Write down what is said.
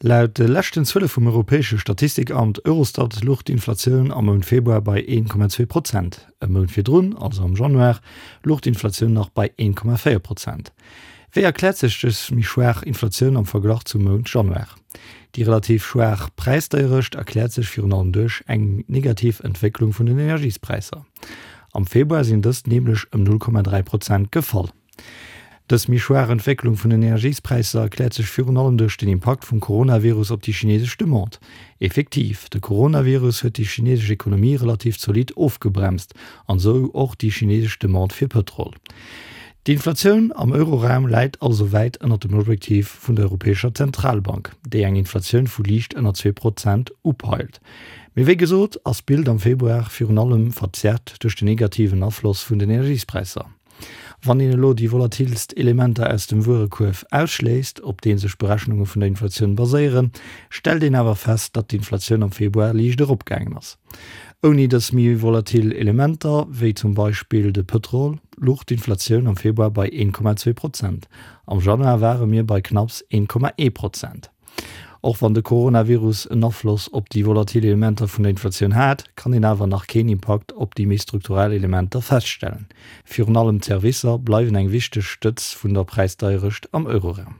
Laut de leschten Zuele vum europäesche Statistikamt Eurostat louch d'Inflatioun am Mount Februar bei 1,2 Prozent. E Mount virdrun, also am Januar, louch d'Inflatioun nach bei 1,4 Prozent. Wéi erkläert sech dës méi schwaach Inflatioun am Verglach zum Mount Januar? Déi relativ schwaach Präisdeierecht erkläert sech virun allem duerch eng negativ Entwécklung vun den Energiespräisser. Am Februar sinn dës nämlech ëm 0,3 Prozent gefall. Dës méi schwaach Entwécklung vun den Energiespräisser erkläert sech virun allem duerch den Impakt vum Coronavirus op déi chinesesch Demande. Effektiv, de Coronavirus huet déi chinesesch Ekonomie relativ zolidd ofgebremst an esou och déi chinesesch Demande fir Pëtrol. D'Inflatioun am Euroraum läit also wäit ënnert dem Objektiv vun der Europäescher Zentralbank, déi eng Inflatioun vu liicht ënner 2 Prozent upeilt. Mee wéi gesot ass d'Bild am Februar virun allem verzerrt duerch den negativen Afloss vun den Energiespräisser. Wann een elo déi volatilst Elementer aus dem Wuerekuerf ausschléisst, op dee sech d'Berechnunge vun der Inflatioun baséieren, stellt een awer fest, datt d'Inflatioun am Februar liicht eropgaangen ass. Ouni dës méi volatil Elementer, wéi zum Beispill de Pëtrol, luch d'Inflatioun am Februar bei 1,2 Prozent. Am Januar ware mir bei knapps 1,1 Prozent. Och wann de Coronavirus en Afloss op déi volatil Elementer vun der Inflatioun hat, kann een awer nach keen Impakt op déi méi strukturell Elementer feststellen. Virun allem d'Servicer bleiwen eng wichteg Stëtz vun der Präisdeierecht am Euroraum.